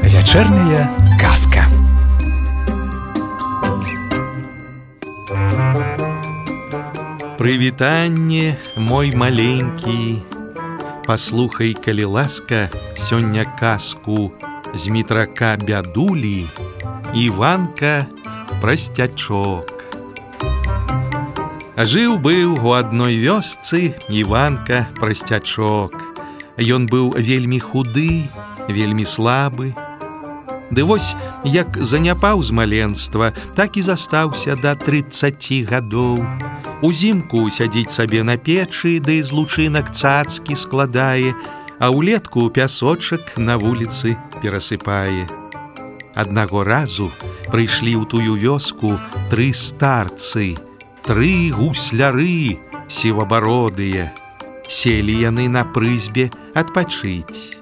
Вечерняя казка. Прывітанне, мой маленькі. Паслухай, калі ласка, сёння казку з метрака бядулі Іванка Прасцячок. Жыў-быў у адной вёсцы Іванка Прасцячок. Ён быў вельмі худы, вельмі слабы. Ды вось, як заняпаў з маленства, так і застаўся да 30 гадоў. Узімку сядзіць сабе на печы, ды з лучынак цацкі складае, а ўлетку пясочак на вуліцы перасыпае. Аднаго разу прыйшлі ў тую вёску 3 старцы, 3 гусляры сівабародыя. Селі яны на прызбе адпачыць.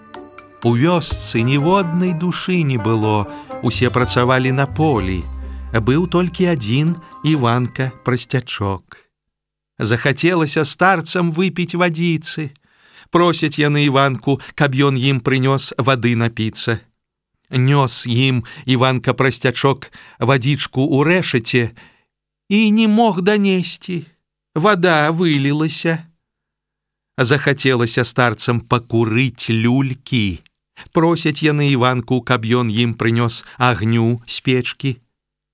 У вёсцы ніводнай душы не было, усе працавалі на полі. Быў толькі адзін Іванка Прасцячок. Захацелася старцам выпіць вадзіцы. Просяць яны Іванку, каб ён ім прынёс вады напіцца. Нёс ім Іванка Прасцячок вадзічку ў рэшаце і не мог данесці. Вада вылілася. Захацелася старцам пакурыць люлькі. Просяць яны Іванку, каб ён ім прынёс агню з печкі.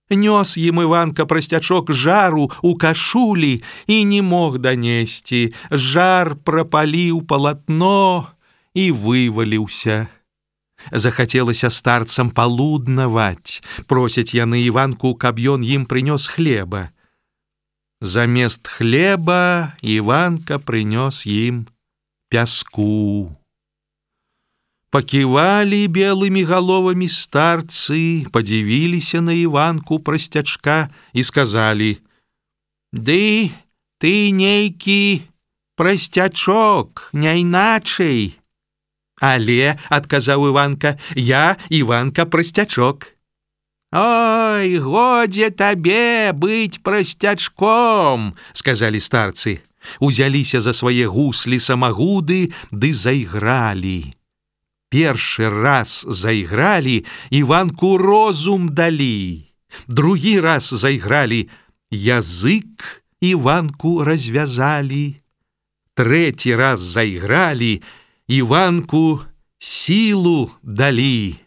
Нёс ім Іванка Прасцячок жару ў кашулі і не мог данесці. Жар прапаліў палатно і вываліўся. Захацелася старцам палуднаваць. Просяць яны Іванку, каб ён ім прынёс хлеба. Замест хлеба Іванка прынёс ім пяску. Паківалі белымі галовамі старцы, падзівіліся на Іванку Прасцячка і сказалі: «Ды ты нейкі Прасцячок, няйначай». «Але, — адказаў Іванка, — я Іванка Прасцячок». «Ой, годзе табе быць прасцячком», — сказалі старцы. Узяліся за свае гуслі-самагуды ды зайгралі. Першы раз зайгралі, Іванку розум далі. Другі раз зайгралі, язык Іванку развязалі. Трэці раз зайгралі, Іванку сілу далі.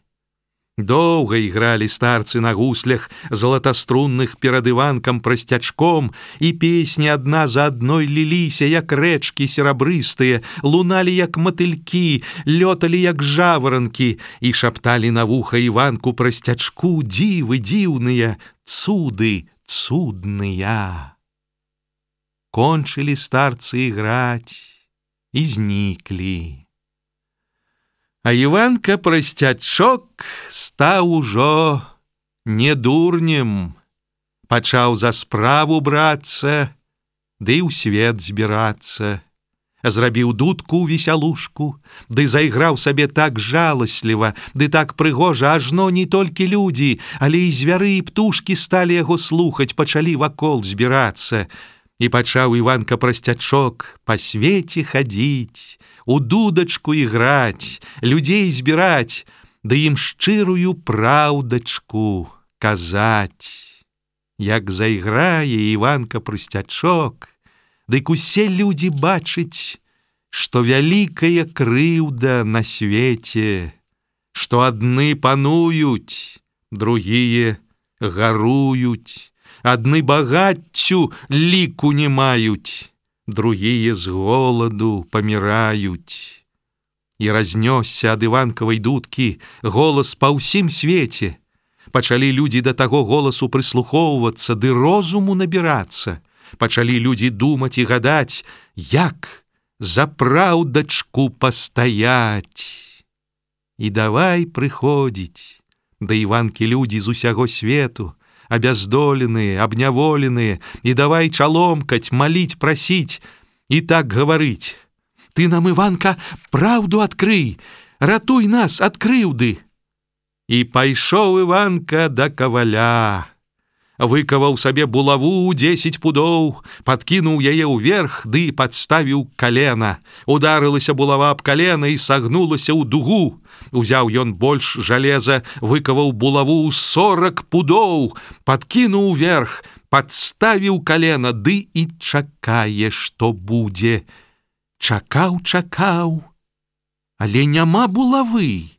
Доўга ігралі старцы на гуслях залатаструнных перад Іванкам Прасцячком, і песні адна за адной ліліся, як рэчкі серабрыстыя, луналі, як матылькі, лёталі, як жаворанкі, і шапталі на вуха Іванку Прасцячку дзівы дзіўныя, цуды цудныя. Кончылі старцы іграць і зніклі. А Іванка Прасцячок стаў ужо не дурнем, пачаў за справу брацца, ды ў свет збірацца. Зрабіў дудку ў весялушку, ды зайграў сабе так жаласліва, ды так прыгожа, ажно не толькі людзі, але і звяры і птушкі сталі яго слухаць, пачалі вакол збірацца. І пачаў Іванка Прасцячок па свеце хадзіць, у дудачку іграць, людзей збіраць, ды ім шчырую праўдачку казаць. Як зайграе Іванка Прасцячок, дык усе людзі бачыць, што вялікая крыўда на свеце, што адны пануюць, другія гаруюць, адны багаццю ліку не маюць, другія з голаду паміраюць. І разнёсся ад Іванкавай дудкі голас па ўсім свеце. Пачалі людзі да таго голасу прыслухоўвацца ды розуму набірацца. Пачалі людзі думаць і гадаць, як за праўдачку пастаяць. І давай прыходзіць да Іванкі людзі з усяго свету, абяздоленыя, абняволеныя, і давай чаломкаць, маліць, прасіць, і так гаварыць: «Ты нам, Іванка, праўду адкрый, ратуй нас ад крыўды». І пайшоў Іванка да каваля. выкаваў сабе булаву 10 пудоў, падкінуў яе ўверх ды падставіў калена. Ударылася булава аб калена і сагнулася ў дугу. Узяў ён больш жалеза, выкаваў булаву 40 пудоў, падкінуў уверх, падставіў калена, ды і чакае, што будзе. Чакаў, але няма булавы.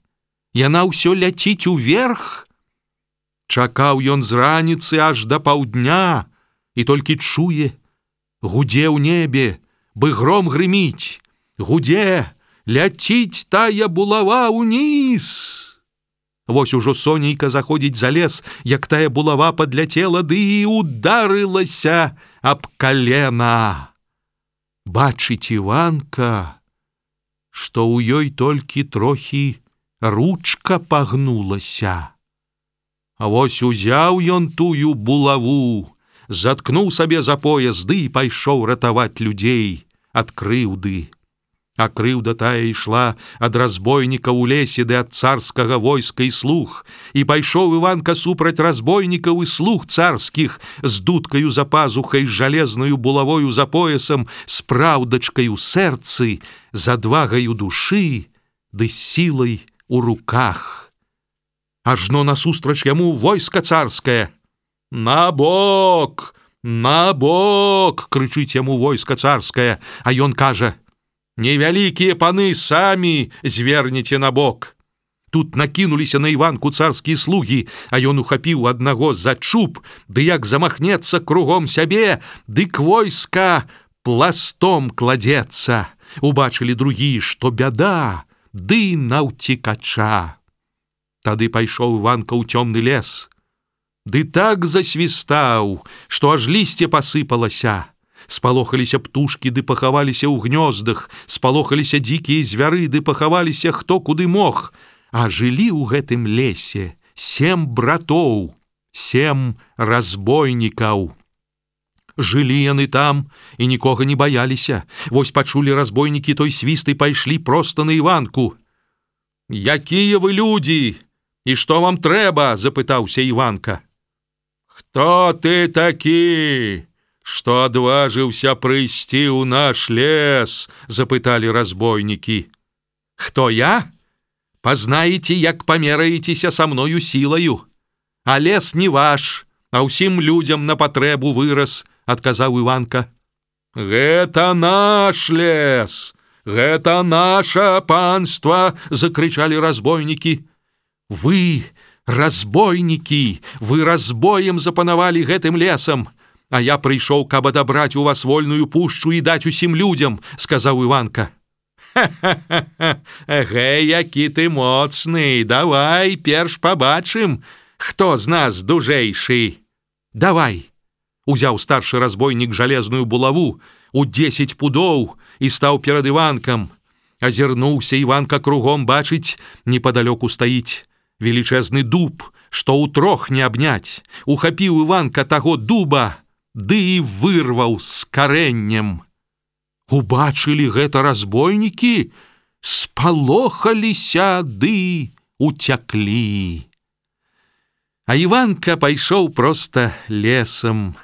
Яна ўсё ляціць уверх. Чакаў ён з раніцы аж да паўдня і толькі чуе, гудзе ў небе, бы гром грыміць, гудзе, ляціць тая булава ўніз. Вось ужо сонейка заходзіць за лес, як тая булава падляцела, ды і ударылася аб калена. Бачыць Іванка, што ў ёй толькі трохі ручка пагнулася. А вось узяў ён тую булаву, заткнуў сабе за пояс, ды і пайшоў ратаваць людзей ад крыўды. А крыўда тая ішла ад разбойніка ў лесе ды ад царскага войска і слуг. І пайшоў Іванка супраць разбойнікаў і слуг царскіх з дудкаю за пазухай, з жалезнаю булавою за поясам, з праўдачкай у сэрцы, з адвагаю душы ды сілай у руках. Ажно насустрач яму войска царскае. На бок, крычыць яму войска царскае, а ён кажа: невялікія паны самі звернеце на бок. Тут накінуліся на Іванку царскія слугі, а ён ухапіў аднаго за чуб, ды як замахнецца кругом сябе, дык войска пластом кладзецца. Убачылі другія, што бяда, ды наўцікача. Тады пайшоў Іванка ў цёмны лес, ды так засвістаў, што аж лісце пасыпалася. Спалохаліся птушкі, ды пахаваліся ў гнёздах, спалохаліся дзікія звяры, ды пахаваліся хто куды мог. А жылі ў гэтым лесе 7 братоў, 7 разбойнікаў. Жылі яны там і нікога не баяліся. Вось пачулі разбойнікі той свіст і пайшлі проста на Іванку. «Якія вы людзі? І што вам трэба?» – запытаўся Іванка. «Хто ты такі, што адважыўся прыйсці ў наш лес?» – запыталі разбойнікі. «Хто я? Пазнаеце, як памераецеся са мною сілаю. А лес не ваш, а ўсім людзям на патрэбу вырас», – адказаў Іванка. «Гэта наш лес! Гэта наша панства!» – закрычалі разбойнікі. «Вы, разбойнікі, вы разбоем запанавалі гэтым лесам, а я прыйшоў, каб адабраць у вас вольную пушчу і даць усім людзям», – сказаў Іванка. «Ха-ха-ха! Гэй, які ты моцны! Давай перш пабачым, хто з нас дужэйшы!» «Давай!» – узяў старшы разбойнік жалезную булаву у 10 пудоў і стаў перад Іванкам. Азірнуўся Іванка кругом, бачыць, непадалёку стаіць велічэзны дуб, што ўтрох не абняць. Ухапіў Іванка таго дуба, ды і вырваў з карэннем. Убачылі гэта разбойнікі, спалохаліся ды уцяклі. А Іванка пайшоў проста лесам.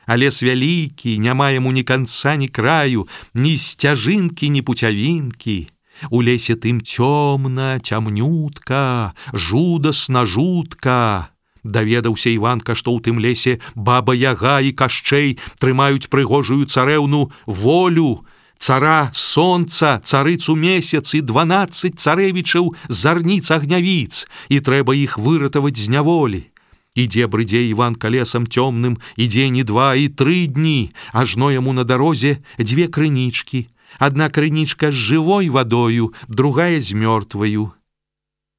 А лес вялікі, няма яму ні канца, ні краю, ні сцяжынкі, ні пуцявінкі. У лесе тым цёмна, цямнютка, жудасна, жутка. Даведаўся Іванка, што ў тым лесе баба Яга і Кашчэй трымаюць прыгожую царэўну Волю, цара сонца, царыцу месяц і 12 царэвічаў зарніц-агнявіц, і трэба іх выратаваць з няволі. Ідзе-брыдзе Іванка лесам цёмным і дзень, і 2, і 3 дні, ажно яму на дарозе 2 крынічкі. Адна крынічка з жывой вадою, другая з мёртваю.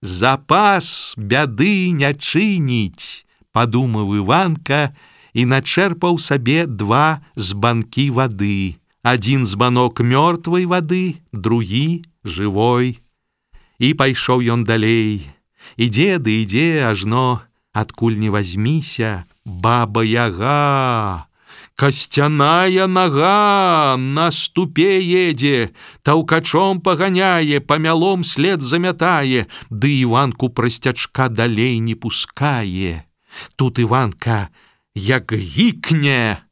«Запас бяды не чыніць», – падумаў Іванка і начэрпаў сабе 2 збанкі вады. Адзін збанок мёртвай вады, другі жывой. І пайшоў ён далей. Ідзе ды ідзе, ажно адкуль не вазьміся баба Яга. Касцяная нага на ступе едзе, таўкачом паганяе, памялом след замятае, ды Іванку прасцячка далей не пускае. Тут Іванка як гікне,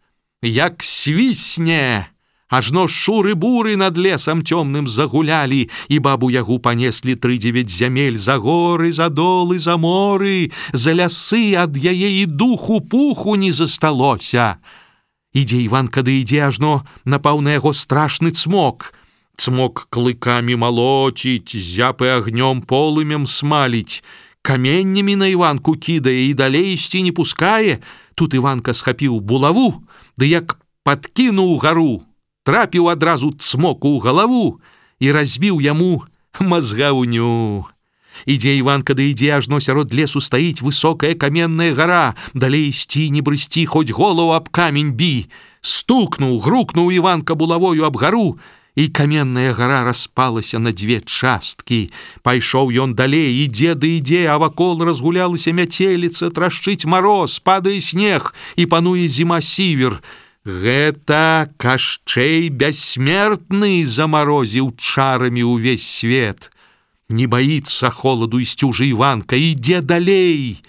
як свісне. Ажно шуры-буры над лесам цёмным загулялі, і бабу-ягу панеслі 3-9 зямель за горы, за долы, за моры, за лясы, ад яе і духу-пуху не засталося. Ідзе Іванка, ды ідзе, ажно напаў на яго страшны цмок. Цмок клыкамі малоціць, зяпы агнём полымем смаліць, каменнямі на Іванку кідае і далей ісці не пускае. Тут Іванка схапіў булаву, ды як падкінуў гару, трапіў адразу цмоку ў галаву і разбіў яму мазгаўню. Ідзе Іванка, да ідзе, ажно сярод лесу стаіць высокая каменная гара, далей ісці не брысці, хоць голову аб камень бі. Стукнуў, грукнуў Іванка булавою аб гару, і каменная гара распалася на 2 часткі. Пайшоў ён далей, ідзе да ідзе, а вакол разгулялася мяцеліца, трашчыць мароз, падае снег і пануе зіма-сівер. Гэта Кашчэй бяссмертны замарозіў чарамі ўвесь свет. Не баіцца холаду ісці ўжо Іванка, ідзе далей.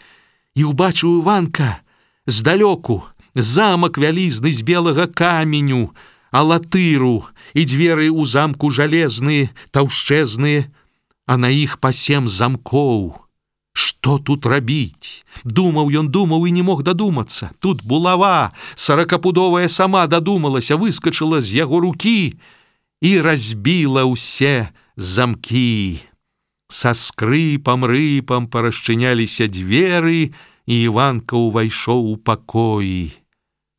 І ўбачыў Іванка здалёку замак вялізны з белага каменю, алатыру і дзверы ў замку жалезныя, таўшчэзныя, а на іх па 7 замкоў. Што тут рабіць? Думаў ён, думаў і не мог дадумацца. Тут булава 40-пудовая сама дадумалася, выскачыла з яго рукі і разбіла ўсе замкі. Са скрыпам-рыпам парашчыняліся дзверы, і Іванка ўвайшоў у пакоі.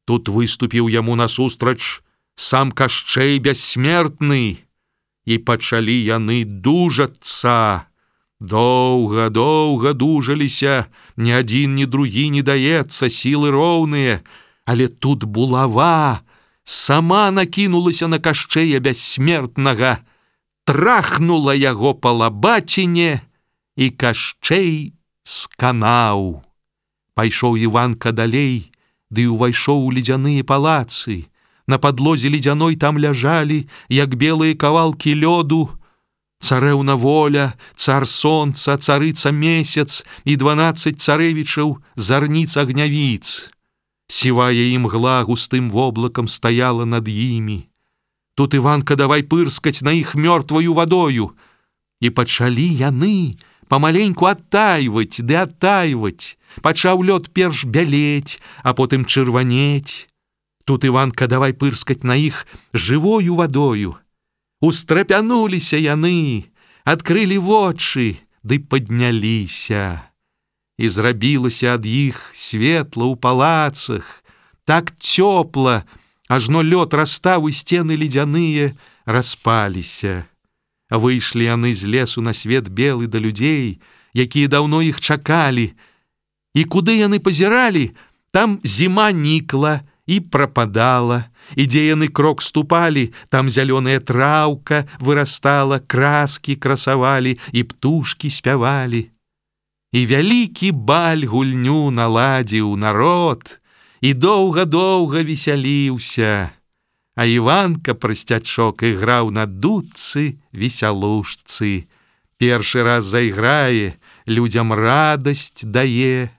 Тут выступіў яму насустрач сам Кашчэй бяссмертны, і пачалі яны дужацца. Доўга дужаліся, ні адзін, ні другі не даецца, сілы роўныя, але тут булава сама накінулася на Кашчэя бяссмертнага, трахнула яго па лабаціне, і Кашчэй сканаў. Пайшоў Іванка далей, ды ўвайшоў у ледзяныя палацы. На падлозе ледзяной там ляжалі, як белыя кавалкі лёду, царэўна Воля, цар Сонца, царыца Месяц і 12 царэвічаў зарніц агнявіц. Сівая імгла густым воблакам стаяла над імі. Тут Іванка давай пырскаць на іх мёртваю вадою. І пачалі яны памаленьку адтайваць ды адтайваць. Пачаў лёд перш бялець, а потым чырванець. Тут Іванка давай пырскаць на іх жывою вадою. Устрапянуліся яны, адкрылі вочы, ды падняліся. І зрабілася ад іх светла ў палацах, так цёпла, ажно лёд растаў і сцены ледзяныя распаліся. Выйшлі яны з лесу на свет белы да людзей, якія даўно іх чакалі. І куды яны пазіралі, там зіма нікла і прападала, і дзе яны крок ступалі, там зялёная траўка вырастала, краскі красавалі, і птушкі спявалі. І вялікі баль гульню наладзіў народ, і доўга весяліўся, а Іванка прасцячок іграў на дудцы весялушцы. Першы раз зайграе, людзям радасць дае,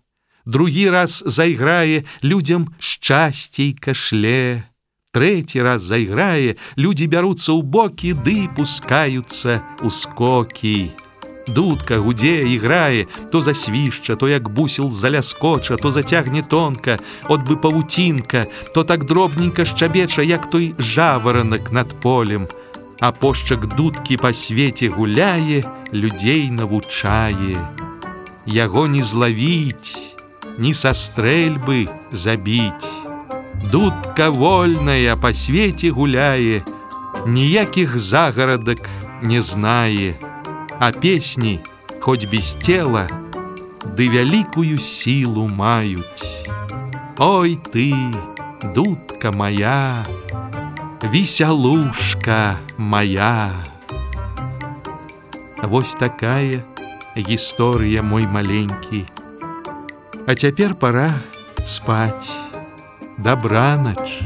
другі раз зайграе, людзям шчасцейка шле. Трэці раз зайграе, людзі бяруцца ў бокі ды пускаюцца ў скокі. Дудка гудзе, іграе, то засвішча, то як бусел заляскоча, то зацягне тонка, от бы павуцінка, то так дробненька шчабеча, як той жаваранак над полем. А пошчак дудкі па свеце гуляе, людзей навучае. Яго не злавіць, ні са стрэльбы забіць. Дудка вольная па свеце гуляе, ніякіх загарадак не знае, а песні, хоць без цела, ды вялікую сілу маюць. Ой ты, дудка моя, весялушка моя. Вось такая гісторыя, мой маленькі. А цяпер пора спаць. Добраноч.